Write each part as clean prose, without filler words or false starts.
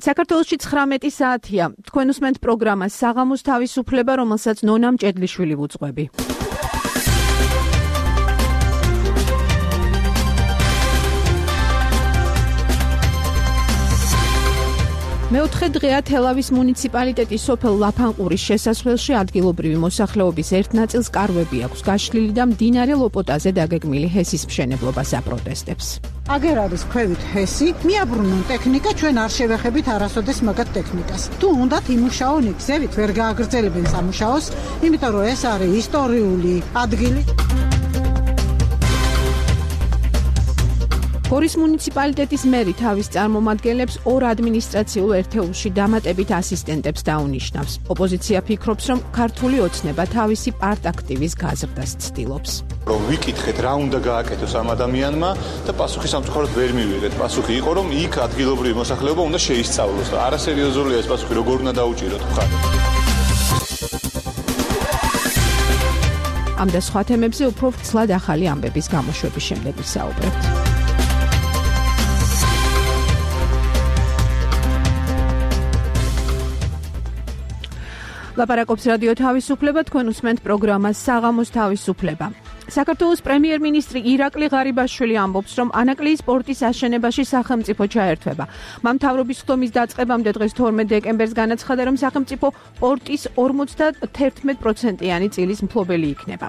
საქართველოში 19 საათია. თქვენ უსმენთ პროგრამას საღამოს თავისუფლება, რომელსაც ნონა მჭედლიშვილი ვუძღვები. მეოთხე დღეა თელავის მუნიციპალიტეტის სოფელ ლაფანყურის შესასვლელში ადგილობრივი მოსახლეობის ერთ ნაწილს კარვები აქვს გაშლილი და მდინარე ლოპოტაზე დაგეგმილი ჰესის მშენებლობას აპროტესტებს. აგერ არის ქვევით ჰესი, მიაბრუნონ ტექნიკა, ჩვენ არ შევეხებით არასოდეს მაგათ ტექნიკას. თუ უნდათ იმუშაონ იქ, ვერ გააგრძელებენ სამუშაოს, იმიტომ რომ ეს არის ისტორიული ადგილი. გორის მუნიციპალიტეტის მერი თავის წარმომადგენლებს ორ ადმინისტრაციულ ერთეულში დამატებით ასისტენტებს დაუნიშნავს. ოპოზიცია ფიქრობს, რომ ქართული ოცნება თავისი პარტაქტივის გაზრდას ცდილობს. რომ ვიკითხეთ რა უნდა გააკეთოს ამ ადამიანმა და პასუხი სამწუხაროდ ვერ მივიღეთ. პასუხი იყო, რომ იქ ადგილობრივი მოსახლეობა უნდა შეისწავლოს და არასერიოზულია ეს პასუხი, როგორ უნდა დაუჭიროთ ხარ. ამ და სხვა თემებზე უფრო ცლად ახალი ამბების გამოშვების შემდეგ ვისაუბრებთ. ლაპარაკობს რადიო თავისუფლება, თქვენ უსმენთ პროგრამას საღამოს თავისუფლება. საქართველოს პრემიერ-მინისტრი ირაკლი ღარიბაშვილი ამბობს, რომ ანაკლიის პორტის აშენებაში სახელმწიფო ჩაერთვება. მან მთავრობის ხდომის დაწყებამდე დღეს 12 დეკემბერს განაცხადა, რომ სახელმწიფო პორტის 51%-იანი წილის მფლობელი იქნება.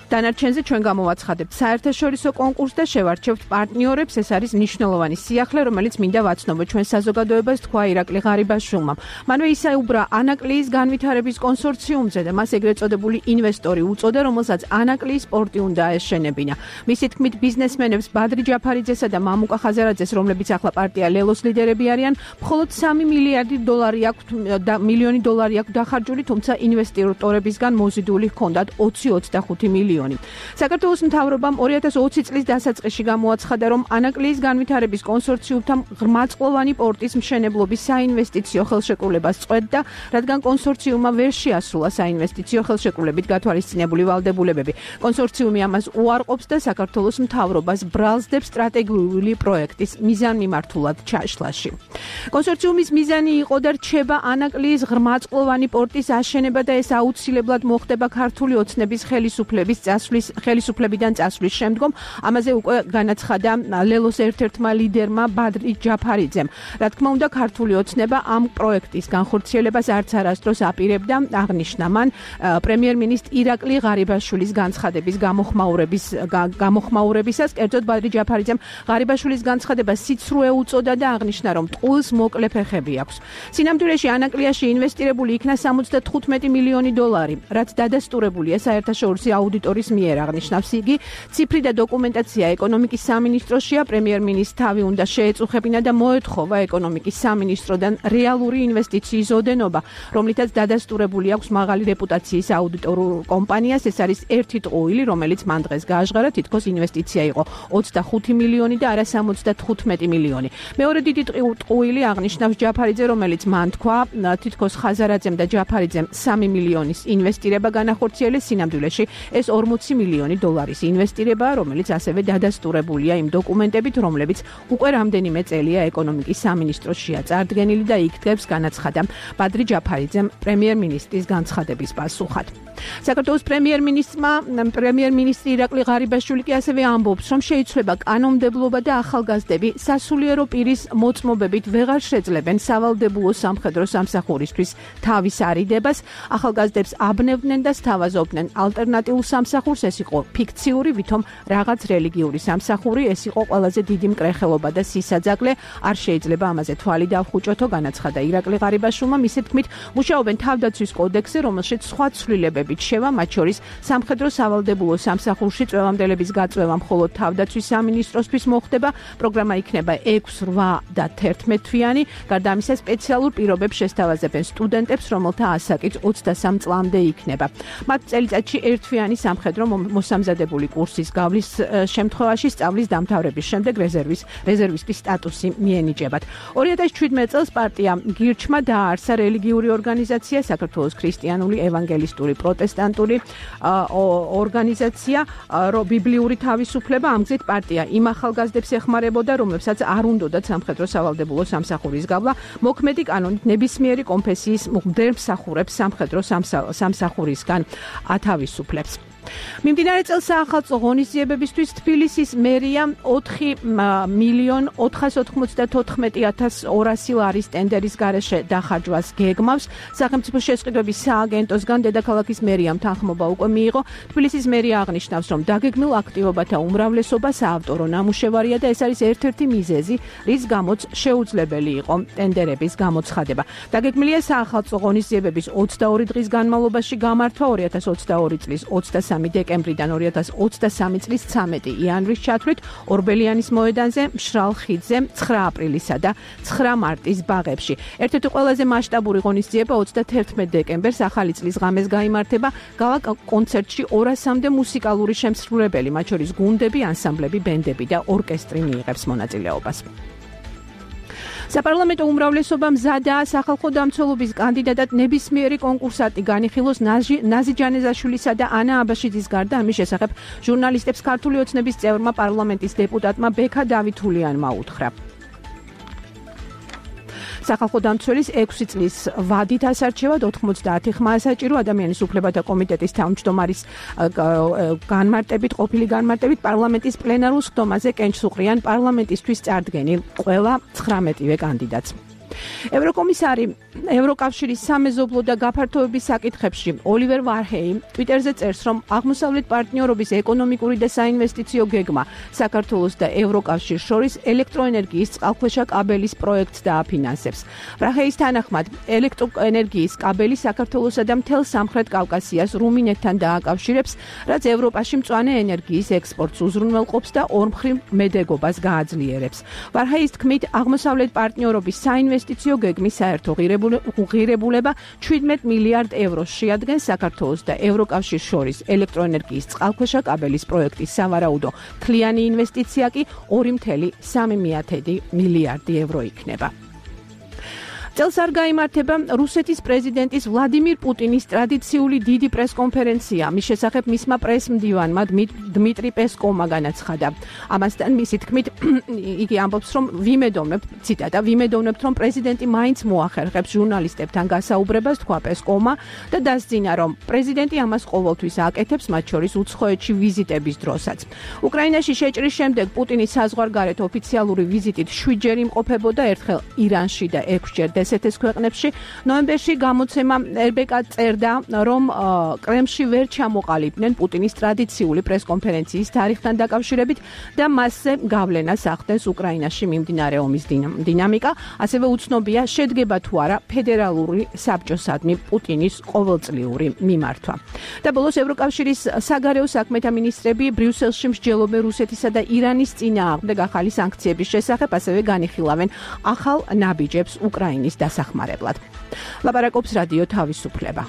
დანარჩენზე ჩვენ გამოვაცხადებთ საერთაშორისო კონკურსს და შევარჩევთ პარტნიორებს. ეს არის მნიშვნელოვანი სიახლე, რომელიც მინდა ვაცნობოთ ჩვენ საზოგადოებას, თქვა ირაკლი ღარიბაშვილმა. მანვე ისაუბრა ანაკლიის განვითარების კონსორციუმზე და მას ეგრეთ წოდებული ინვესტორი უწოდა, რომელსაც ანაკლიის პორტი უნდა აეშენებინა. მისი თქმით, ბიზნესმენებს ბადრი ჯაფარიძესა და მამუკა ხაზარაძეს, რომლებიც ახლა პარტია ლელოს ლიდერები არიან, მხოლოდ 3 მილიონი დოლარი აქვს დახარჯული, თუმცა ინვესტორებისგან მოზიდული ჰქონდათ 20-25 მილიონი. საქართველოს მთავრობამ 2020 წლის დასაწყისში გამოაცხადა, რომ ანაკლიის განვითარების კონსორციუმთან ღრმაწყლოვანი პორტის მშენებლობის საინვესტიციო ხელშეკრულებას წყვეტდა, რადგან კონსორციუმმა ვერ შეასრულა საინვესტიციო ხელშეკრულებით გათვალისწინებული ვალდებულებები. კონსორციუმი ამას უარყოფს და საქართველოს მთავრობას ბრალსდებს სტრატეგიული პროექტის მიზანმიმართულად ჩაშლაში. კონსორციუმის მიზანი იყო და რჩება ანაკლიის ღრმაწყლოვანი პორტის აშენება და ეს აუცილებლად მოხდება ქართული ოცნების ხელისუფლებიდან წასვლის შემდგომ. ამაზე უკვე განაცხადა ლელოს ერთ-ერთმა ლიდერმა ბადრი ჯაფარიძემ. რა თქმა უნდა, ქართული ოცნება ამ პროექტის განხორციელებას არც არასდროს აპირებდა, აღნიშნა მან პრემიერ-მინისტრ ირაკლი ღარიბაშვილის განცხადების გამოხმაურებისას. კერძოდ ბადრი ჯაფარიძემ ღარიბაშვილის განცხადებას სიცრუე უწოდა და აღნიშნა, რომ ტყუილს მოკლე ფეხები აქვს. სინამდვილეში ანაკლიაში ინვესტირებული იქნა 75 მილიონი დოლარი, რაც დადასტურებულია საერთაშორისო აუდიტორის მიერ, აღნიშნავს იგი. ციფრი და დოკუმენტაცია ეკონომიკის სამინისტროშია. პრემიერ-მინისტრს თავი უნდა შეეწუხებინა და მოეთხოვა ეკონომიკის სამინისტროდან რეალური ინვესტიციის ოდენობა, რომლითაც დადასტურებული აქვს მაღალი რეპუტაციის აუდიტორულ კომპანიას. ეს არის ერთი ტყუილი, რომელიც მან დღეს გააჟღარა, თითქოს ინვესტიცია იყო 25 მილიონი და არა 75 მილიონი. მეორე დიდი ტყუილი, აღნიშნავს ჯაფარიძე, რომელიც მან თქვა, თითქოს ხაზარაძემ და ჯაფარიძემ 3 მილიონის ინვესტირება განახორციელეს. სინამდვილეში ეს 40 მილიონი დოლარის ინვესტირება, რომელიც ასევე დადასტურებულია იმ დოკუმენტებით, რომლებიც უკვე რამდენიმე წელია ეკონომიკის სამინისტროშია წარდგენილი და იქ დგებს, განაცხადა ბადრი ჯაფარიძემ პრემიერ-მინისტრის განცხადების პასუხად. საქართველოს პრემიერ-მინისტრი ირაკლი ღარიბაშვილი კი ასევე ამბობს, რომ შეიცვლება კანონმდებლობა და ახალგაზრდები სასულიერო პირის მოწმობებით ვეღარ შეძლებენ სავალდებულო სამხედრო სამსახურისთვის თავის არიდებას. ახალგაზრდებს აბნევდნენ და სთავაზობდნენ ალტერნატიულ სამსახურს. ეს იყო ფიქციური, ვითომ რაღაც რელიგიური სამსახური, ეს იყო ყველაზე დიდი მკრეხელობა და სისაძაგლე. არ შეიძლება ამაზე თვალი დავხუჭოთო, განაცხადა ირაკლი ღარიბაშვილმა. მისი თქმით, მუშაობენ თავდაცვის კოდექსზე, რომელშიც სხვა ცვლილებებით შევა, მათ შორის სამხედრო სავალდებულო სამსახურში წვევამდელების გაწვევა მხოლოდ თავდაცვის სამინისტროსთვის მოხდება. პროგრამა იქნება 6, 8 და 11 თვიანი. გარდა ამისა, სპეციალურ პირობებს შესთავაზებენ სტუდენტებს, რომელთა ასაკიც 23 წლამდე იქნება. მათ წელიწადში ერთთვიანი სამხედრო მოსამზადებული კურსის გავლის შემთხვევაში სწავლის დამთავრების შემდეგ რეზერვისტის სტატუსი მიენიჭებათ. 2017 წელს პარტია გირჩმა დააარსა რელიგიური ორგანიზაცია საქართველოს ქრისტიანული ევანგელისტური პროტესტანტული ორგანიზაცია ბიბლიური თავისუფლება, ამ გზით პარტია იმ ახალგაზრდებს ეხმარებოდა, რომლებსაც არ უნდოდათ სამხედრო სავალდებულო სამსახურის გავლა, მოქმედი კანონით ნებისმიერი კონფესიის მღვდელ მსახურებს სამხედრო სამსახურისგან ათავისუფლებს. მიმდინარე წელს საახალწლო ღონისძიებებისთვის თბილისის მერია 4,494,200 ლარის ტენდერის გარეშე დახარჯვას გეგმავს. სახელმწიფო შესყიდვების სააგენტოსგან დედაქალაქის მერიამ თანხმობა უკვე მიიღო. თბილისის მერია აღნიშნავს, რომ დაგეგმილ აქტივობათა უმრავლესობა საავტორო ნამუშევარია და ეს არის ერთ-ერთი მიზეზი, რის გამოც შეუძლებელი იყო ტენდერების გამოცხადება. დაგეგმილია საახალწლო ღონისძიებების 22 დღის განმავლობაში გამართვა 2022 წლის 23 დეკემბრიდან 2023 წლის 13 იანვრის ჩათვლით ორბელიანის მოედანზე, მშრალ ხიდზე, 9 აპრილისა და 9 მარტის ბაღებში. ერთ-ერთი ყველაზე მასშტაბური ღონისძიება 31 დეკემბერს ახალი წლის ღამეს გაიმართება. გალა კონცერტში 200-მდე მუსიკალური შემსრულებელი, მათ შორის გუნდები, ანსამბლები, ბენდები და ორკესტრი მიიღებს მონაწილეობას. საპარლამენტო უმრავლესობა მზადაა სახალხო დამცველობის კანდიდატად ნებისმიერი კონკურსანტი განიხილოს ნაზი ჯანეზაშვილისა და ანა აბაშიძის გარდა. ამის შესახებ ჟურნალისტებს ქართული ოცნების წევრმა პარლამენტის დეპუტატმა ბექა დავითულიანმა უთხრა. სახალხო დამცველის 6 წლის ვადით ასარჩევად 90 ხმა ასაჭირო. ადამიანის უფლებათა კომიტეტის თავმჯდომარის ყოფილი განმარტებით პარლამენტის პლენარულ სხდომაზე კენჭს უყრიან პარლამენტისთვის წარდგენილ ყველა 19-ვე კანდიდატს. ევროკომისარი ევროკავშირის სამეზობლო და გაფართოების საკითხებში ოლივერ ვარჰეიმ ტვიტერზე წერს, რომ აღმოსავლეთ პარტნიორობის ეკონომიკური და საინვესტიციო გეგმა საქართველოს და ევროკავშირს შორის ელექტროენერგიის წყალქვეშა კაბელის პროექტს დააფინანსებს. ვარჰეის თანახმად, ელექტროენერგიის კაბელი საქართველოსა და მთელ სამხრეთ კავკასიას რუმინეთთან დააკავშირებს, რაც ევროპაში მწვანე ენერგიის ექსპორტს უზრუნველყოფს და ორმხრივ მედეგობას გააძლიერებს. ვარჰეის თქმით, აღმოსავლეთ პარტნიორობის საინვესტიციო გეგმის საერთო ღირებულება 17 მილიარდ ევროს შეადგენს. საქართველოს და ევროკავშირს შორის ელექტროენერგიის წყალქვეშა კაბელის პროექტის სავარაუდო მთლიანი ინვესტიცია კი 2,3 მილიარდი евро იქნება. წელს არ გაიმართება რუსეთის პრეზიდენტის ვლადიმირ პუტინის ტრადიციული დიდი პრესკონფერენცია. მის შესახებ მისმა პრესმდივანმა დმიტრი პესკოვმა განაცხადა. ამასთან მისი თქმით იგი ამბობს, რომ ვიმედოვნებთ, რომ პრეზიდენტი მაინც მოახერხებს ჟურნალისტებთან გასაუბრებას, თქვა პესკოვმა და დასძინა, რომ პრეზიდენტი ამას ყოველთვის აკეთებს, მათ შორის უცხოეთში ვიზიტების დროსაც. უკრაინაში შეჭრის შემდეგ პუტინის საზღვარგარეთ ოფიციალური ვიზიტით 7-ჯერ იმყოფებოდა, ერთხელ ირანში და 6-ჯერ ესეთეს ქვეყნებში. ნოემბერში გამოცემა RBK წერდა, რომ კრემლში ვერ ჩამოყალიბდნენ პუტინის ტრადიციული პრესკონფერენციის თარიღთან დაკავშირებით და მასზე გავლენას ახდენს უკრაინაში მიმდინარე ომის დინამიკა. ასევე უცნობია, შედგება თუ არა ფედერალური საბჭოსადმი პუტინის ყოველწლიური მიმართვა. და ბოლოს ევროკავშირის საგარეო საქმეთა მინისტრები ბრიუსელში მსჯელობენ რუსეთისა და ირანის წინააღმდეგ ახალი სანქციების შესახებ, ასევე განიხილავენ ახალ ნაბიჯებს უკრაინის დასახმარებლად. ლაპარაკობს რადიო თავისუფლება.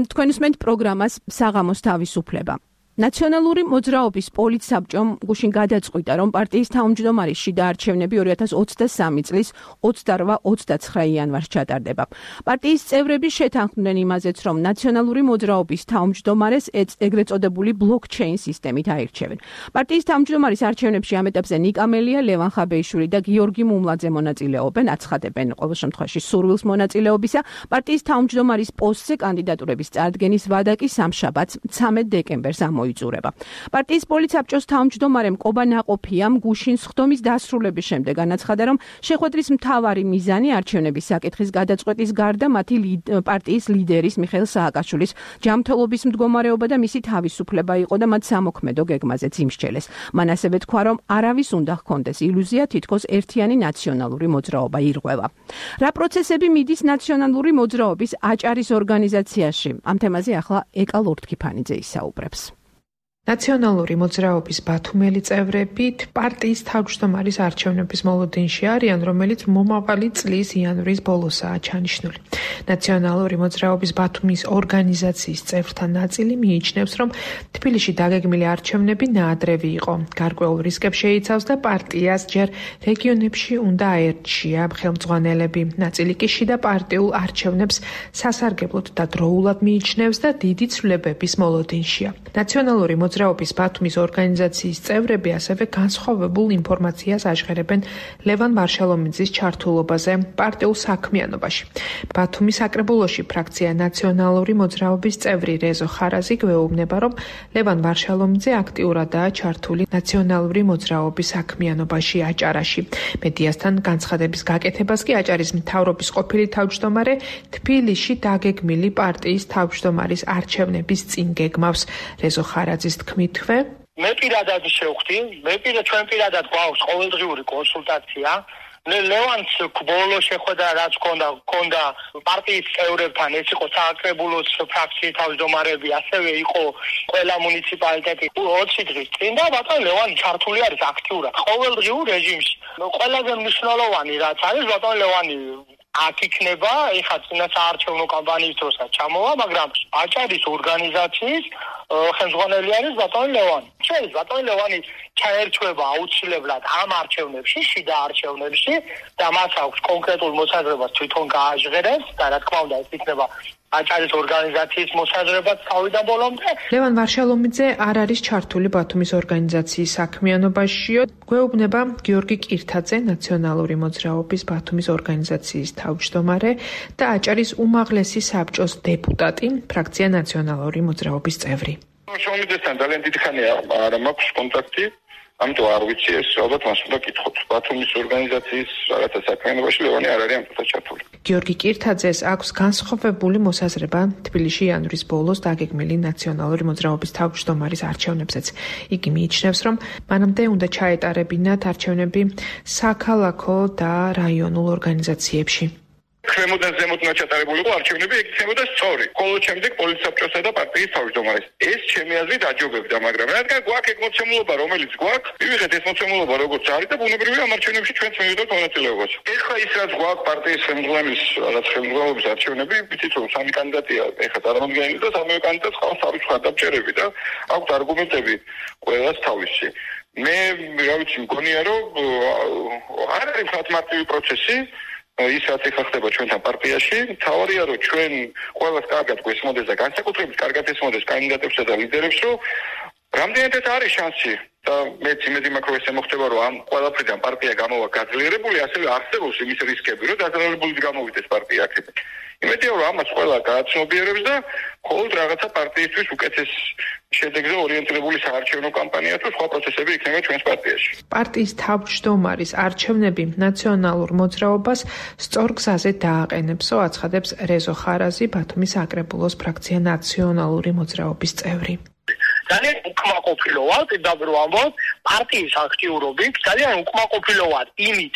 თქვენ უსმენთ პროგრამას საღამოს თავისუფლება. ნაციონალური მოძრაობის პოლიტსაბჭომ გუშინ გადაწყვიტა, რომ პარტიის თავმჯდომარის შიდა არჩევნები 2023 წლის 28-29 იანვარს ჩატარდება. პარტიის წევრები შეთანხმდნენ იმაზეც, რომ ნაციონალური მოძრაობის თავმჯდომარეს ეგრეთ წოდებული ბლოკჩეინ სისტემით აირჩევენ. პარტიის თავმჯდომარის არჩევნებში ამ ეტაპზე ნიკა მელია, ლევან ხაბეიშვილი და გიორგი მუმლაძე მონაწილეობენ, აცხადებენ ყოველ შემთხვევაში სურვილს მონაწილეობისა. პარტიის თავმჯდომარის პოსტზე კანდიდატურების წარდგენის ვადა კი სამშაბათს 13 დეკემბერს იწურება. პარტიის პოლიტსაბჭოს თავმჯდომარემ კობა ნაყოფიამ გუშინ სხდომის დასრულების შემდეგ განაცხადა, რომ შეხვედრის მთავარი მიზანი არჩევნების საკითხის გადაწყვეტის გარდა მათი პარტიის ლიდერის მიხეილ სააკაშვილის ჯანმრთელობის მდგომარეობა და მისი თავისუფლება იყო და მათ სამოქმედო გეგმაზეც იმსჯელეს. მან ასევე თქვა, რომ არავის უნდა ჰქონდეს ილუზია, თითქოს ერთიანი ნაციონალური მოძრაობა ირღვევა. რა პროცესები მიდის ნაციონალური მოძრაობის აჭარის ორგანიზაციაში? ამ თემაზე ახლა ეკა ლორთქიფანიძე ისაუბრებს. ნაციონალური მოძრაობის ბათუმელი წევრებით პარტიის თავმჯდომარის არჩევნების მოლოდინში არიან, რომელიც მომავალი წლის იანვრის ბოლოსაა ჩანიშნული. ნაციონალური მოძრაობის ბათუმის ორგანიზაციის წევრთა ნაწილი მიიჩნევს, რომ თბილისში დაგეგმილი არჩევნები ნაადრევი იყო. გარკვეულ რისკებს შეიცავს და პარტიას ჯერ რეგიონებში უნდა აერჩია ხელმძღვანელები. ნაწილი კი შიდა პარტიულ არჩევნებს სასარგებლოდ და დროულად მიიჩნევს და დიდი ცვლილებების მოლოდინშია. ნაციონალური მოძრაობის ბათუმის ორგანიზაციის წევრები ასევე განსხვავებულ ინფორმაციას აჟღერებენ ლევან ვარშალომიძის ჩართულობაზე პარტიულ საქმიანობაში. ბათუმის საკრებულოში ფრაქცია ნაციონალური მოძრაობის წევრი რეზო ხარაზი გვეუბნება, რომ ლევან ვარშალომიძე აქტიურადაა ჩართული ნაციონალური მოძრაობის საქმიანობაში აჭარაში. მედიასთან განცხადების გაკეთებას კი აჭარის მთავრობის ყოფილი თავმჯდომარე თბილისში დაგეგმილი პარტიის თავმჯდომარის არჩევნების წინ გეგმავს. რეზო ხარაძის თქმითვე მე პირადად შევხვდი, ჩვენ პირადად გვაქვს ყოველდღიური კონსულტაცია. ლევანს ბოლო შეხვედრა რაც ჰქონდა პარტიის წევრებთან, ეს იყო საკრებულოს ფრაქციის თავმჯდომარები, ასევე იყო ყველა მუნიციპალიტეტი 20 დღის წინ და ბატონ ლევანი ჩართული არის აქტიურად ყოველდღიურ რეჟიმში. ყველაზე მნიშვნელოვანი რაც არის, ბატონ ლევანი აქ იქნება, ეხლა წინა საარჩევნო კამპანიის დროსაც ჩამოვა, მაგრამ აჭარის ორგანიზაციის ხელმძღვანელი არის ბატონ ლევანი. შეიძლება ბატონ ლევანი ჩაერთვება აუცილებლად ამ არჩევნებში, შიდა არჩევნებში და მას აქვს კონკრეტულ მოსაზრებას თვითონ გააჟღერებს და რა თქმა უნდა ეს იქნება აჭარის ორგანიზაციის მოსაზრებაც თავიდან ბოლომდე. ლევან ვარშალომიძე არ არის ჩართული ბათუმის ორგანიზაციის საქმიანობაშიო. გვეუბნება გიორგი კირთაძე, ნაციონალური მოძრაობის ბათუმის ორგანიზაციის თავმჯდომარე და აჭარის უმაღლესი საბჭოს დეპუტატი, ფრაქცია ნაციონალური მოძრაობის წევრი. შრომისთან ძალიან დიდი ხანია არ მაქვს კონტაქტი, ამიტომ არ ვიცი ეს ალბათ მას უნდა კითხოთ. ბათუმის ორგანიზაციის რაღაცა საქმიანობაში ლევანი არ არის ამიტომ ჩართული. გიორგი კირთაძეს აქვს განსხვავებული მოსაზრება თბილისში იანვრის ბოლოს დაგეგმილი ნაციონალური მოძრაობის თავმჯდომარის არჩევნებზეც. იგი მიიჩნევს, რომ მანამდე უნდა ჩაეტარებინათ არჩევნები საქალაქო და რაიონულ ორგანიზაციებში. ქვემოდან ზემოთ ჩატარებულიყო არჩევნები, ეგ იქნებოდა სწორი. ხოლო შემდეგ პოლიტსაბჭოსა და პარტიის თავმჯდომარის. ეს ჩემი აზრით აჯობებდა, მაგრამ რადგან გვაქვს ეგ მოცემულობა, რომელიც გვაქვს, მივიღეთ ეს მოცემულობა როგორც არის და ბუნებრივია ამ არჩევნებში ჩვენც მივიღებთ მონაწილეობას. ეხლა ის რაც გვაქვს პარტიის ხელმძღვანელობის არჩევნები, ვიცით რომ სამი კანდიდატია ეხლა წარმოდგენილი და სამივე კანდიდატს ყავს თავის ხარდაბჭერები და აქვს არგუმენტები ყველას თავისი. მე რა ვიცი, მგონია რომ არ არის მარტივი პროცესი. ის რაც ეხლა ხდება ჩვენთან პარტიაში, თავარია რომ ჩვენ ყველას კარგად გვესმოდეს და განსაკუთრებით კარგად ესმოდეს კანდიდატებსა და ლიდერებს, რომ რამდენადაც არის შანსი და მეც იმედი მაქვს, რომ ესე მოხდება, რომ ამ ყველაფრიდან პარტია გამოვა გაძლიერებული, ასევე არსებობს იმის რისკები, რომ დაძაბულობით გამოვიდეს პარტია აქედან. იმედია რომ ამას ყველა გააცნობიერებს და მხოლოდ რაღაცა პარტიისთვის უკეთეს შედეგზე ორიენტირებული საარჩევნო კამპანია თუ სხვა პროცესები იქნება ჩვენს პარტიაში. პარტიის თავმჯდომარის არჩევნები ნაციონალურ მოძრაობას სწორ გზაზე დააყენებსო, აცხადებს რეზო ხარაზი, ბათუმის საკრებულოს ფრაქცია ნაციონალური მოძრაობის წევრი. ძალიან უკმაყოფილო ვარ, პირდაპირ ვამბობ, პარტიის აქტიურობით, ძალიან უკმაყოფილო ვარ იმით,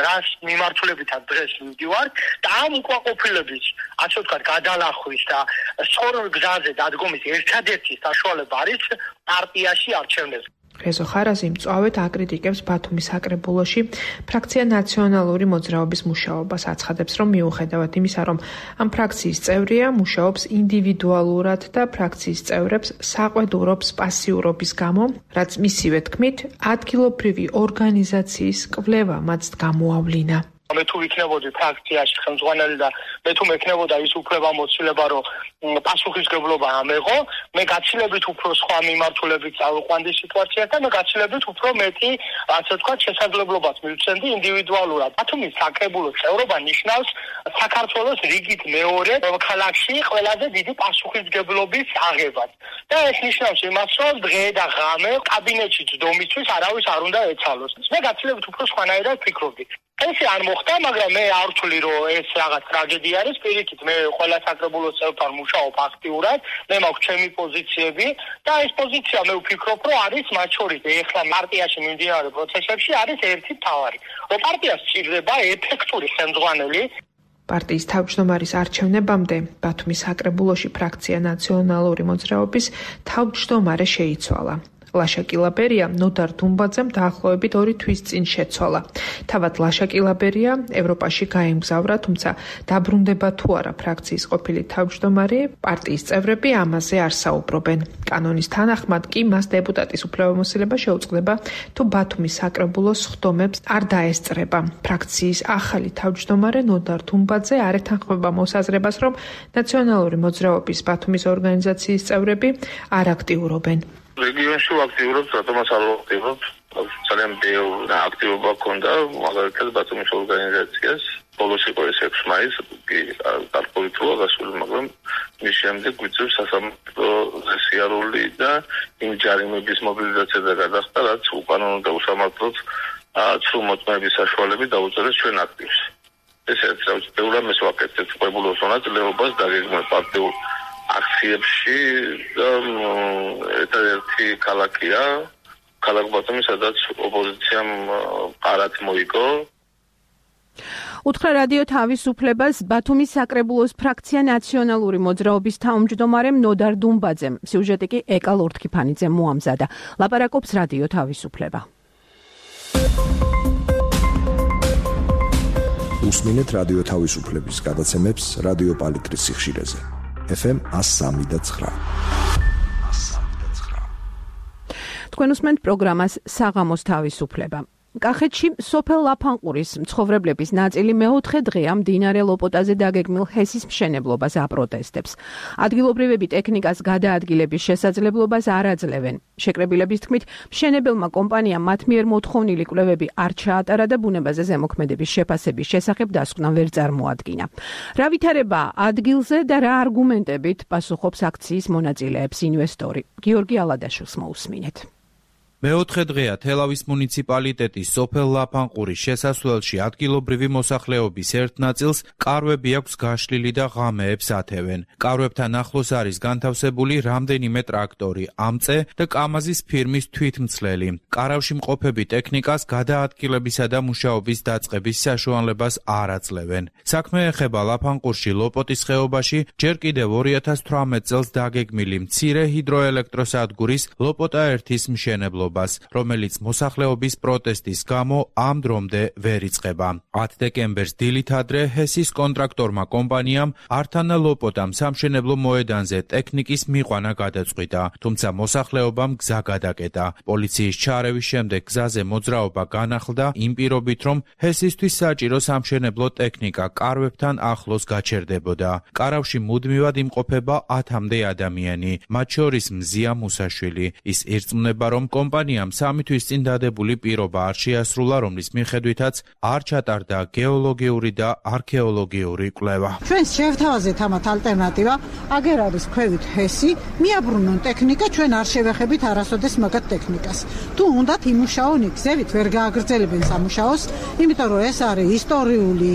რას მიმართულებითაც დღეს მივდივარ და ამ უკმაყოფილების, ასე ვთქვათ, გადალახვის და სწორ გზაზე დადგომის ერთადერთი საშუალება არის პარტიაში არჩევნები. რეზო ხარაზი მწვავედ აკრიტიკებს ბათუმის საკრებულოში ფრაქცია ნაციონალური მოძრაობის მუშაობას, აცხადებს, რომ მიუხედავად იმისა, რომ ამ ფრაქციის წევრია, მუშაობს ინდივიდუალურად და ფრაქციის წევრებს საყვედურობს პასიურობის გამო, რაც მისივე თქმით, ადგილობრივი ორგანიზაციის კვლევა მათ გამოავლინა. მე თუ ვიქნებოდი ფრაქციაში ხელმძღვანელი და მე თუ მექნებოდა ის უფლება მოცილება, რომ პასუხისგებლობა ამეღო, მე გაცილებით უფრო სხვა მიმართულებით წავიყვანდი სიტუაციას და მე გაცილებით უფრო მეტი, ასე ვთქვათ, შესაძლებლობას მივცემდი ინდივიდუალურად. ბათუმის საკრებულოს წევრობა ნიშნავს საქართველოს რიგით მეორე ქალაქში ყველაზე დიდი პასუხისგებლობის აღებას. და ეს ნიშნავს იმას, რომ დღე და ღამე კაბინეტში ჯდომისთვის არავის არ უნდა ეცალოს. მე გაცილებით უფრო სხვანაირად ვფიქრობდი. ეს არ მოხდა, მაგრამ მე არ ვთვლი, რომ ეს რაღაც ტრაგედია არის. პირიქით, მე ყველა საკრებულოს წევრთან მუშაობ აქტიურად, მე მაქვს ჩემი პოზიციები და ეს პოზიცია მე ვფიქრობ, რომ არის მათ შორის ეხლა პარტიაში მიმდინარე პროცესებში არის ერთი მთავარი. რომ პარტიას სჭირდება ეფექტური ხელმძღვანელი. პარტიის თავმჯდომარის არჩევნებამდე ბათუმის საკრებულოში ფრაქცია ნაციონალური მოძრაობის თავმჯდომარე შეიცვალა. ლაშა კილაბერია ნოდარ დუმბაძემ დაახლოებით 2 თვის წინ შეცვალა. თავად ლაშა კილაბერია ევროპაში გაემგზავრა, თუმცა დაბრუნდება თუ არა ფრაქციის ყოფილი თავმჯდომარე, პარტიის წევრები ამაზე არ საუბრობენ. კანონის თანახმად კი მას დეპუტატის უფლებამოსილება შეუწყდება, თუ ბათუმის საკრებულოს სხდომებს არ დაესწრება. ფრაქციის ახალი თავმჯდომარე ნოდარ დუმბაძე არ ეთანხმება მოსაზრებას, რომ ნაციონალური მოძრაობის ბათუმის ორგანიზაციის წევრები არ აქტიურობენ. რეგიონში ვაქტიურობთ, რატომაც არ ვაქტიურობთ? ძალიან ბევრი აქტივობა ჰქონდა, მაგალითად ბათუმის ორგანიზაციას. ბოლოს იყო ეს 6 მაისი, კი გარკვეულწილად გასული, მაგრამ მის შემდეგ გვიწევს სასამართლო სიარული და იმ ჯარიმების მობილიზაცია და გადახდა, რაც უკანონო და უსამართლოდ ცრუ მოწმეების საშუალებით დაუწერეს ჩვენ აქტივს. ესეც ბევრ ამას ვაკეთებთ ყებულოს მონაწილეობას დაგეგმვა პარტიულ აქციებში და ერთადერთი ქალაქია ქალაქ ბათუმი, სადაც ოპოზიციამ ყარად მოიგო. უთხრა რადიო თავისუფლებას ბათუმის საკრებულოს ფრაქცია ნაციონალური მოძრაობის თავმჯდომარემ ნოდარ დუმბაძემ. სიუჟეტი კი ეკა ლორთქიფანიძემ მოამზადა. ლაპარაკობს რადიო თავისუფლება. უსმინეთ რადიო თავისუფლების გადაცემებს რადიო პალიტრის სიხშირეზე. FM 103.9. თქვენ უსმენთ პროგრამას საღამოს თავისუფლება. კახეთში სოფელ ლაფანყურის მცხოვრებლების ნაწილი მეოთხე დღეა მდინარე ლოპოტაზე დაგეგმილ ჰესის მშენებლობას აპროტესტებს. ადგილობრივები ტექნიკას გადაადგილების შესაძლებლობას არ აძლევენ. შეკრებილების თქმით, მშენებელმა კომპანიამ მათ მიერ მოთხოვნილი კვლევები არ ჩაატარა და ბუნებაზე ზემოქმედების შეფასების შესახებ დასკვნა ვერ წარმოადგინა. რა ვითარებაა ადგილზე და რა არგუმენტებით პასუხობს აქციის მონაწილეებს ინვესტორი? გიორგი ალადაშვილს მოусმინეთ. მეოთხე დღეა თელავის მუნიციპალიტეტის სოფელ ლაფანყურის შესასვლელში ადგილობრივი მოსახლეობის ერთ ნაწილს კარვები აქვს გაშლილი და ღამეებს ათევენ. კარვებთან ახლოს არის განთავსებული რამდენიმე ტრაქტორი, ამწე და კამაზის ფირმის თვითმცლელი. კარავში მყოფები ტექნიკას გადაადგილებისა და მუშაობის დაწყების საშუალებას არ აძლევენ. საქმე ეხება ლაფანყურში ლოპოტის ხეობაში ჯერ კიდევ 2018 წელს დაგეგმილი მცირე ჰიდროელექტროსადგურის ლოპოტა 1-ის მშენებლობა, რომელიც მოსახლეობის პროტესტის გამო ამ დრომდე ვერ იწყება. 10 დეკემბერს დილით ადრე ჰესის კონტრაქტორმა კომპანიამ ართანა ლოპოტამ სამშენებლო მოედანზე ტექნიკის მიყვანა გადაწყვიტა, თუმცა მოსახლეობამ გზა გადაკეტა. პოლიციის ჩარევის შემდეგ გზაზე მოძრაობა განახლდა იმ პირობით, რომ ჰესისთვის საჭირო სამშენებლო ტექნიკა კარვებთან ახლოს გაჩერდებოდა. კარავში მუდმივად იმყოფება 10-მდე ადამიანი, მათ შორის მზია მუსაშვილი. ის ირწმუნება, რომ კომპანიამ 3 თვის წინ დადებული პირობა არ შეასრულა, რომლის მიხედვითაც არ ჩატარდა გეოლოგიური და არქეოლოგიური კვლევა. ჩვენს შევთავაზეთ ამათ ალტერნატივა, აგერ არის ქვევით ჰესი, მიაბრუნონ ტექნიკა, ჩვენ არ შევეხებით არასოდეს მაგათ ტექნიკას. თუ უნდათ იმუშაონ იქზევით, ვერ გააგრძელებენ სამუშაოს, იმიტომ რომ ეს არის ისტორიული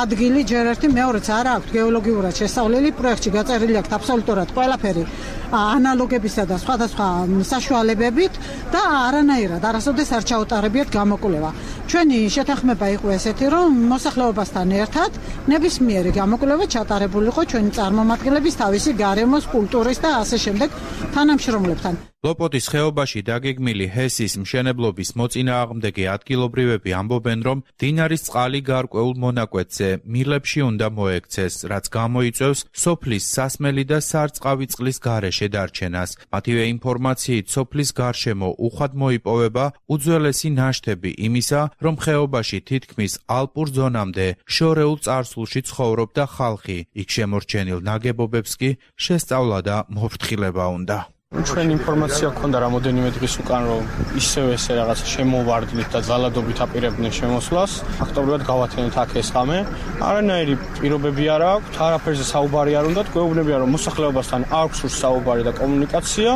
ადგილი, ჯერ ერთი მეორეც არ აქვს გეოლოგიურად შესწავლილი, პროექტში გაწერილი აქვს აბსოლუტურად ყველაფერი ანალოგებისა და სხვადასხვა საშუალებებით და არანაირად არასოდეს არ ჩაუტარებიათ გამოკვლევა. ჩვენი შეთანხმება იყო ესეთი, რომ მოსახლეობასთან ერთად ნებისმიერი გამოკვლევა ჩატარებულიყო ჩვენი წარმომადგენლების თავისი გარემოს, კულტურის და ასე შემდეგ თანამშრომლებთან. ლოპოტის ხეობაში დაგეგმილი ჰესის მშენებლობის მოწინააღმდეგე ადგილობრივები ამბობენ, რომ მდინარის წყალი გარკვეულ მონაკვეთზე მილებში უნდა მოექცეს, რაც გამოიწვევს სოფლის სასმელი და სარწყავი წყლის გარეშე დარჩენას. მათივე ინფორმაციით სოფლის გარშემო უხვად მოიპოვება უძველესი ნაშთები იმისა, რომ ხეობაში თითქმის ალპურ ზონამდე შორეულ წარსულში ცხოვრობდა ხალხი. იქ შემორჩენილ ნაგებობებს კი შესწავლა და მოფრთხილება უნდა. ჩვენ ინფორმაცია გქონდა რამოდენიმე დღის უკან, რომ ისევ ესე რაღაცა შემოვარდნით და ძალადობით აპირებდნენ შემოსვლას. ფაქტობრივად გავათენეთ აქ ეს ღამე. არანაირი პირობები არ აქვს, არაფერზე საუბარი არ უნდა. გვეუბნებიან, რომ მოსახლეობასთან აქვს სულ საუბარი და კომუნიკაცია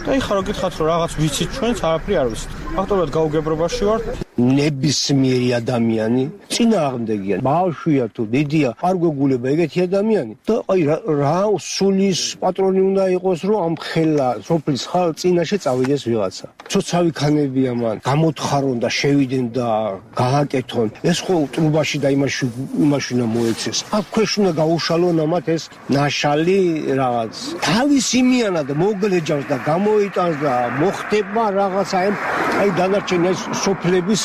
და ეხლა რო გითხათ, რომ რაღაც ვიცით ჩვენც, არაფერი არ ვიცით. ფაქტობრივად გაუგებრობაში ვართ. ნებისმიერი ადამიანი წინააღმდეგია. ბავშვია თუ დიდია, არ გვეგულება ეგეთი ადამიანი. და აი რა სულის პატრონი უნდა იყოს, რომ ამ ხელა სოფლის წინაშე წავიდეს ვიღაცა. ცოცავი ქანებია მან, გამოთხარონ და შევიდნენ და გააკეთონ. ეს ხო ტრუბაში და იმაში უნდა მოეცეს. აქ ქვეშ უნდა გაუშალონ ამათ ეს ნაშალი რაღაც. თავის იმიანად მოგლეჯავს და გამოიტანს და მოხდება რაღაცა აი დანარჩენი სოფლების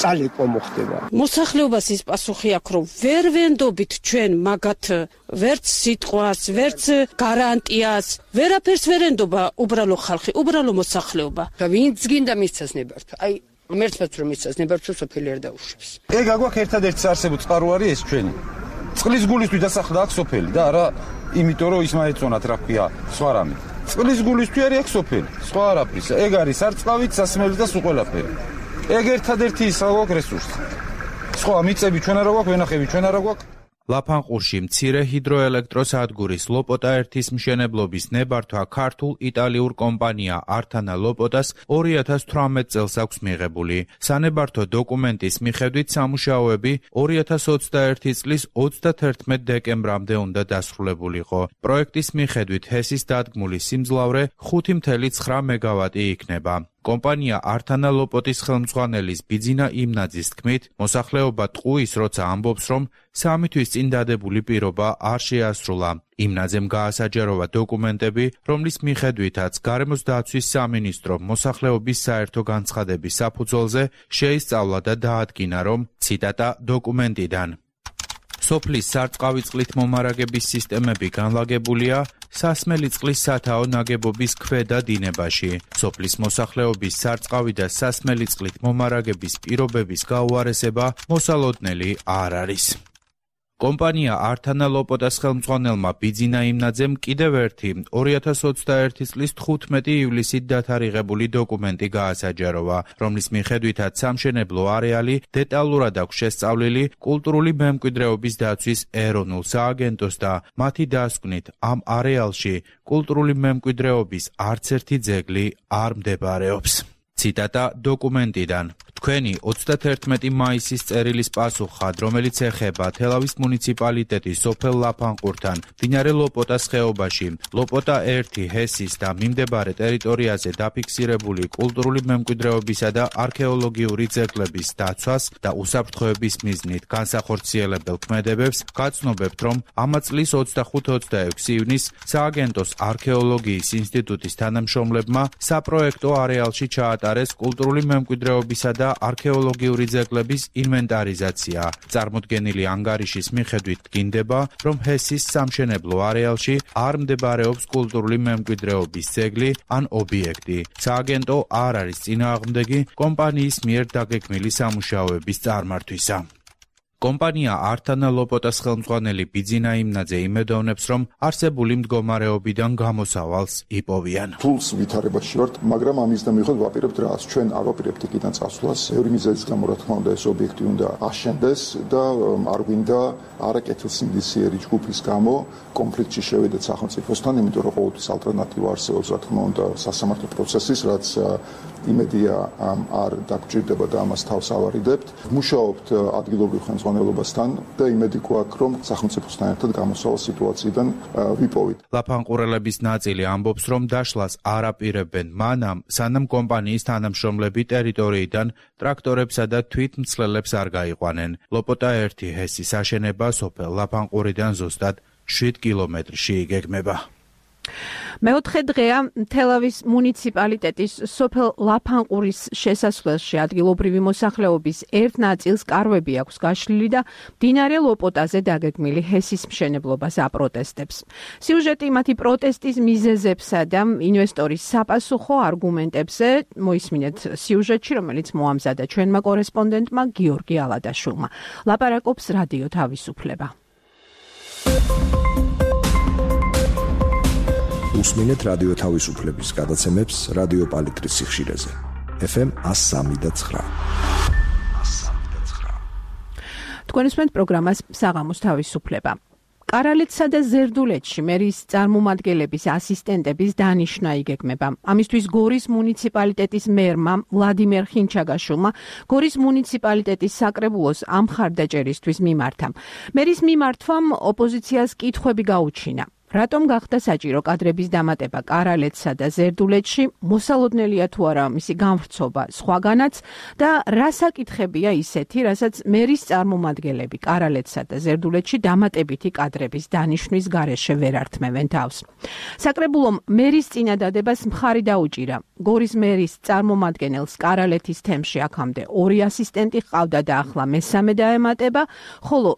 წალეკვა მოხდება. მოსახლეობას ის პასუხი აქვს, რომ ვერ ვენდობით ჩვენ მაგათ ვერც სიტყვას, ვერც გარანტიას, ვერაფერს ვერ ენდობა უბრალო ხალხი, უბრალო მოსახლეობა. და ვინც გინდა მისცეს ნებართვა. აი ღმერთსაც რომ მისცეს ნებართვა სოფელი არ დაუშვებს. ეგ აგვაქვს ერთადერთი არსებობს წყარო არის ეს ჩვენი. წყლის გულისთვის დასახლდა აქ სოფელი და არა იმიტომ რომ ის მაეწონათ რა ქვია სხვა რამე. წყლის გულისთვის არის აქ სოფელი, სხვა არაფრის. ეგ არის სარწყავით, სასმელი და სულ ყველაფერი. ეგ ერთადერთი ის აგვაქვს რესურსი. სხვა მიწები ჩვენ არა გვაქვს, ვენახები ჩვენ არა გვაქვს. ლაფანყურში მცირე ჰიდროელექტროსადგურის ლოპოტა 1-ის მშენებლობის ნებართვა ქართულ-იტალიურ კომპანია ართანა ლოპოტას 2018 წელს აქვს მიღებული. სანებართო დოკუმენტის მიხედვით სამუშაოები 2021 წლის 31 დეკემბრამდე უნდა დასრულებულიყო. პროექტის მიხედვით ჰესის დადგმული სიმძლავრე 5.9 მეგავატი იქნება. კომპანია ართანა ლოპოტის ხელმძღვანელის ბიძინა იმნაძის თქმით, მოსახლეობა ტყუის როცა ამბობს, რომ 3 თვის წინ დადებული პირობა არ შეასრულა. იმნაძემ გაასაჯაროვა დოკუმენტები, რომლის მიხედვითაც გარემოს დაცვის სამინისტრო მოსახლეობის საერთო განცხადების საფუძველზე შეისწავლა და დაადგინა, რომ ციტატა დოკუმენტიდან სოფლის სარწყავი წყლით მომარაგების სისტემები განლაგებულია სასმელი წყლის სათაო ნაგებობის ქვედა დინებაში. სოფლის მოსახლეობის სარწყავი და სასმელი წყლით მომარაგების პირობების გაუარესება მოსალოდნელი არ არის. კომპანია ართანა ლოპოტას ხელმძღვანელმა ბიძინა იმნაძემ კიდევ ერთი 2021 წლის 15 ივლისით დათარიღებული დოკუმენტი გაასაჯაროვა, რომლის მიხედვითაც სამშენებლო არეალი დეტალურად აქვს შესწავლილი კულტურული მემკვიდრეობის დაცვის ეროვნულ სააგენტოს და მათი დასკვნით ამ არეალში კულტურული მემკვიდრეობის არც ერთი ძეგლი არ მდებარეობს. ციტატა დოკუმენტიდან. თქვენი 31 მაისის წერილის პასუხად, რომელიც ეხება თელავის მუნიციპალიტეტის სოფელ ლაფანყურთან, მდინარე ლოპოტას ხეობაში, ლოპოტა 1 ჰესის და მიმდებარე ტერიტორიაზე დაფიქსირებული კულტურული მემკვიდრეობისა და არქეოლოგიური ძეგლების დაცვას და უსაფრთხოების მიზნით განსახორციელებელ ქმედებებს გაცნობებთ, რომ ამა წლის 25-26 ივნის სააგენტოს არქეოლოგიის ინსტიტუტის თანამშრომლებმა საპროექტო არეალში ჩაატარეს კულტურული მემკვიდრეობისა და არქეოლოგიური ძეგლების ინვენტარიზაცია. წარმოდგენილი ანგარიშის მიხედვით დგინდება, რომ ჰესის სამშენებლო არეალში არ მდებარეობს კულტურული მემკვიდრეობის ძეგლი ან ობიექტი. სააგენტო არ არის წინააღმდეგი კომპანიის მიერ დაგეგმილი სამუშაოების წარმართვისა. კომპანია ართანა ლოპოტას ხელმძღვანელი ბიძინა იმნაძე იმედოვნებს, რომ არსებული მდგომარეობიდან გამოსავალს იპოვიან. ფულს ვითარებაში ვართ, მაგრამ ამის და მიუხედავად ვაპირებთ რას, ჩვენ არ ვაპირებთ იქიდან წასვლას. ბევრი მიზეზის გამო რა თქმა უნდა ეს ობიექტი უნდა აშენდეს და არ გვინდა არაკეთილსინდისიერი ჯგუფის გამო კონფლიქტში შევიდეთ სახელმწიფოსთან, იმიტომ რომ ყოველთვის ალტერნატივა არსებობს, რა თქმა უნდა, სასამართლო პროცესის, რაც იმედია არ დაგჭირდება და ამას თავს ავარიდებთ. მუშაობთ ადგილობრივ ხელმძღვანელობასთან და იმედი გვაქვს, რომ სახელმწიფოსთან ერთად გამოსავალ სიტუაციიდან ვიპოვით. ლაფანყურელების ნაწილი ამბობს, რომ დაშლას არ აპირებენ მანამ, სანამ კომპანიის თანამშრომლები ტერიტორიიდან ტრაქტორებსა და თვითმცლელებს არ გაიყვანენ. ლოპოტა 1 ჰესის აშენება სოფელ ლაფანყურიდან ზუსტად 7 კილომეტრში იგეგმება. მეოთხე დღეა თელავის მუნიციპალიტეტის სოფელ ლაფანყურის შესასვლელში ადგილობრივი მოსახლეობის ერთ ნაწილს კარვები აქვს გაშლილი და მდინარე ლოპოტაზე დაგეგმილი ჰესის მშენებლობას აპროტესტებს. სიუჟეტი მათი პროტესტის მიზეზებსა და ინვესტორის საპასუხო არგუმენტებზე მოისმინეთ სიუჟეტში, რომელიც მოამზადა ჩვენმა კორესპონდენტმა გიორგი ალადაშვილმა. ლაპარაკობს რადიო თავისუფლება. უსმინეთ რადიო თავისუფლების გადაცემებს რადიო პალიტრის სიხშირეზე. FM 103.9. თქვენ უსმენთ პროგრამას საღამოს თავისუფლება. კარალეთსა და ზერდულეთში მერის წარმომადგენლების ასისტენტების დანიშვნა იგეგმება. ამისთვის გორის მუნიციპალიტეტის მერმა ვლადიმერ ხინჩაგაშვილმა გორის მუნიციპალიტეტის საკრებულოს ამ მხარდაჭერისთვის მიმართა. მერის მიმართვამ ოპოზიციას კითხვები გაუჩინა. რატომ გახდა საჭირო კადრების დამატება კარალეთსა და ზერდულეთში, მოსალოდნელია თუ არა მისი გამვრცობა სხვაგანაც და რა საკითხებია ისეთი, რასაც მერის წარმომადგენლები კარალეთსა და ზერდულეთში დამატებითი კადრების დანიშვნის გარეშე ვერ ართმევენ თავს. საკრებულომ მერის წინადადებას მხარი დაუჭირა. გორის მერის წარმომადგენელს კარალეთის თემში აქამდე 2 ასისტენტი ჰყავდა და ახლა მესამე დაემატება, ხოლო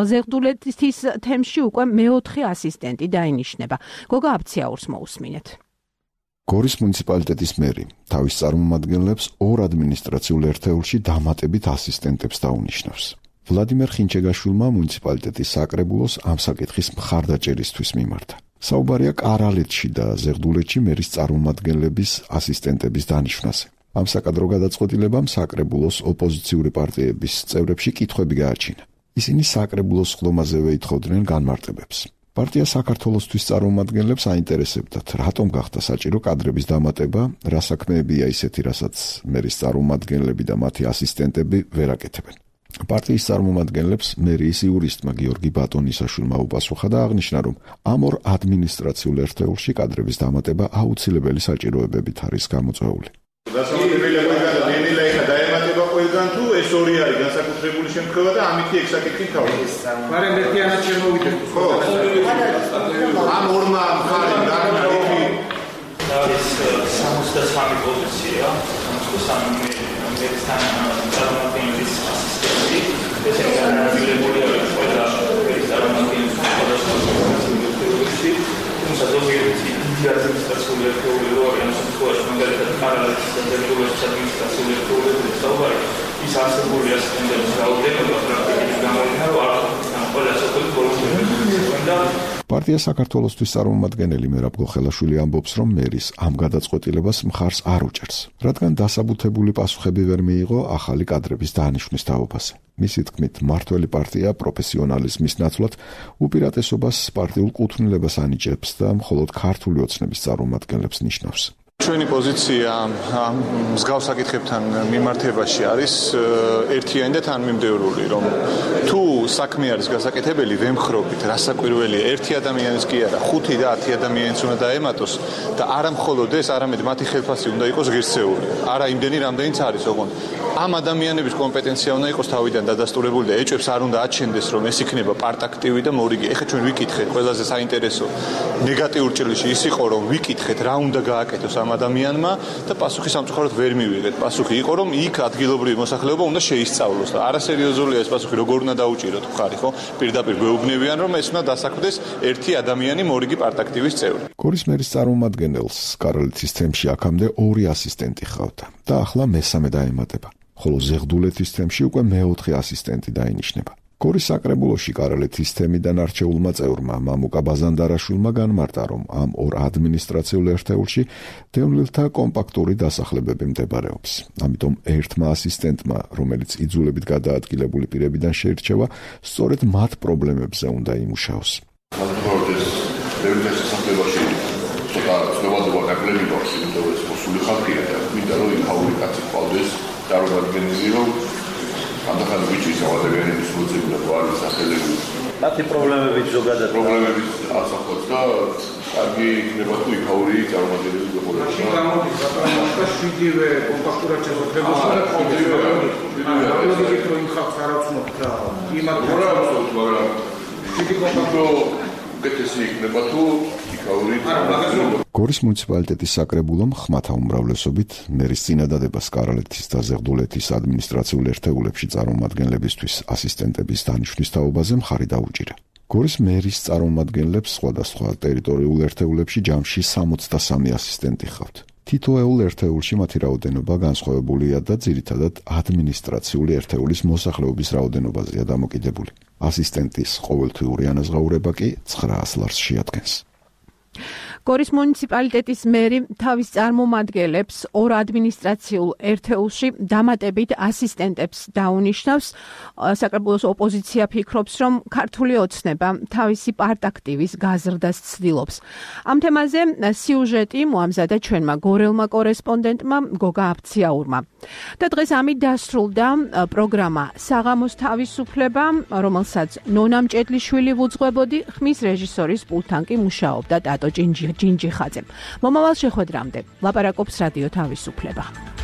ზერდულეთის თემში უკვე მეოთხე ასისტენტი დაინიშნება. გოგა აბციაურს მოусმინეთ. გორის მუნიციპალიტეტის მერი თავის წარმომადგენლებს 2 ადმინისტრაციულ ერთეულში დამატებით ასისტენტებს დაუნიშნავს. ვლადიმერ ხინჩეგაშვილმა მუნიციპალიტეტის საკრებულოს ამ საკითხის მხარდაჭერისთვის მიმართა. საუბარია კარალეთში და ზერდულეთში მერის წარმომადგენლების ასისტენტების დანიშვნაზე. ამ საკადრო გადაწყვეტილებამ საკრებულოს ოპოზიციური პარტიების წევრებში კითხვები გააჩინა. ისინი საკრებულოს ხდომაზევე ითხოვდნენ განმარტებებს. პარტია საქართველოსთვის წარმომადგენლებს აინტერესებდათ, რატომ გახდა საჭირო კადრების დამატება, რა საქმეებია ისეთი, რასაც მერის წარმომადგენლები და მათი ასისტენტები ვერ აკეთებენ. პარტიის წარმომადგენლებს მერიის იურისტმა გიორგი ბატონისაშვილმა უპასუხა და აღნიშნა, რომ ამ 2 ადმინისტრაციულ ერთეულში კადრების დამატება აუცილებელი საჭიროებებით არის გამოწვეული. დაემატება ყველგან თუ ეს 2 არის განსაკუთრებული შემთხვევა და ამითი ეგ საკითხი თავის. მაგრამ ერთიანად შემოვიდეს. ხო. ამ 2-მა მხარე დაგმარიფი არის 63 პოზიცია, 63 მერისთან წარმომადგენლის ასისტენტი. ეს განსაკუთრებული არის ყველა წარმომადგენლის პოზიციაში. თუმცა ზოგიერთი ადმინისტრაციული ერთეული რო არის ამ შემთხვევაში მაგალითად კარალეთის და ზერდულეთის ადმინისტრაციული ერთეულები საუბარი ის არსებული ასისტენტების რაოდენობა პრაქტიკით გამოიჩინა რომ არ ყველა სოფელი ბოლომდე პარტია საქართველოსთვის წარმომადგენელი მერაბ გოხელაშვილი ამბობს, რომ მერის ამ გადაწყვეტილებას მხარს არ უჭერს, რადგან დასაბუთებული პასუხები ვერ მიიღო ახალი კადრების დანიშვნის თაობაზე. მისი თქმით, მმართველი პარტია პროფესიონალიზმის ნაცვლად უპირატესობას პარტიულ კუთვნილებას ანიჭებს და მხოლოდ ქართული ოცნების წარმომადგენლებს ნიშნავს. ჩვენი პოზიცია მსგავს საკითხებთან მიმართებაში არის ერთიანი და თანმიმდევრული, რომ თუ საქმე არის გასაკეთებელი, ვემხრობით, რასაკვირველია, ერთი ადამიანის კი არა, 5 და 10 ადამიანის უნდა დაემატოს და არა მხოლოდ ეს, არამედ მათი ხელფასი უნდა იყოს ღირსეული. არა იმდენი, რამდენიც არის, ოღონდ ამ ადამიანების კომპეტენცია უნდა იყოს თავიდან დადასტურებული და ეჭვებს არ უნდა აჩენდეს, რომ ეს იქნება პარტაქტივი და მორიგი. ეხლა ჩვენ ვიკითხეთ, ყველაზე საინტერესო ნეგატიურ ჭრილში ის იყო, რომ ვიკითხეთ, რა უნდა გააკეთოს ამ ადამიანმა და პასუხი სამწუხაროდ ვერ მივიღეთ. პასუხი იყო, რომ იქ ადგილობრივი მოსახლეობა უნდა შეისწავლოს და არასერიოზულია ეს პასუხი, როგორ უნდა დაუჭიროთ ხარი, ხო? პირდაპირ გვეუბნებიან, რომ ეს უნდა დასაქმდეს ერთი ადამიანი მორიგი პარტაქტივის წევრი. გორის მერის წარმომადგენელს კარალეთის თემში აქამდე 2 ასისტენტი ჰყავდა და ახლა მესამე დაემატება, ხოლო ზერდულეთის თემში უკვე მეოთხე ასისტენტი დაინიშნება. გორის საკრებულოში კარალეთის თემიდან არჩეულმა წევრმა მამუკა ბაზანდარაშვილმა განმარტა, რომ ამ 2 ადმინისტრაციულ ერთეულში დევნილთა კომპაქტური დასახლებები მდებარეობს. ამიტომ ერთმა ასისტენტმა, რომელიც იძულებით გადაადგილებული პირებიდან შეირჩევა, სწორედ მათ პრობლემებზე უნდა იმუშაოს. დევნილთა სასახლებაში ცოტა ცნობადობა გაკლები გვაქვს, იმიტომ რომ ეს მოსული ხალხია და მინდა რომ იქაური კაცი ყავდეს წარმომადგენელი, რომ ამდახან ვიჭვის ადამიანების მოძებნად არის სახელები. მათი პრობლემებით ზოგადად პრობლემებით ასახავს და კარგი იქნება თუ იქაური წარმომადგენელი გიყოლება. მაშინ გამოდის რატომ 7-ვე კომპაქტურად შესაძლებლობა და რომ იმ ხალხს არ აცნობთ და იმათ რა აცნობთ, მაგრამ 7 კომპაქტო უკეთესი იქნება თუ გორის მუნიციპალიტეტის საკრებულომ ხმათა უმრავლესობით მერის წინადადებას კარალეთის და ზერდულეთის ადმინისტრაციულ ერთეულებში წარმომადგენლებისთვის ასისტენტების დანიშვნის თაობაზე მხარი დაუჭირა. გორის მერის წარმომადგენლებს სხვადასხვა ტერიტორიულ ერთეულებში ჯამში 63 ასისტენტი ჰყავთ. თითოეულ ერთეულში მათი რაოდენობა განსხვავებულია და ძირითადად ადმინისტრაციული ერთეულის მოსახლეობის რაოდენობაზეა დამოკიდებული. ასისტენტის ყოველთვიური ანაზღაურება კი 900 ლარს შეადგენს. გორის მუნიციპალიტეტის მერი თავის წარმომადგენლებს ორ ადმინისტრაციულ ერთეულში დამატებით ასისტენტებს დაუნიშნავს. საკრებულოს ოპოზიცია ფიქრობს, რომ ქართული ოცნება თავისი პარტაქტივის გაზრდას ცდილობს. ამ თემაზე სიუჟეტი მოამზადა ჩვენმა გორელმა კორესპონდენტმა გოგა აბციაურმა. და დღეს ამით დასრულდა პროგრამა საღამოს თავისუფლება, რომელსაც ნონა მჭედლიშვილი ვუძღვებოდი, ხმის რეჟისორის პულტთან კი მუშაობდა ტატო ჯინჯიხაძე. მომავალ შეხვედრამდე ლაპარაკობს რადიო თავისუფლება.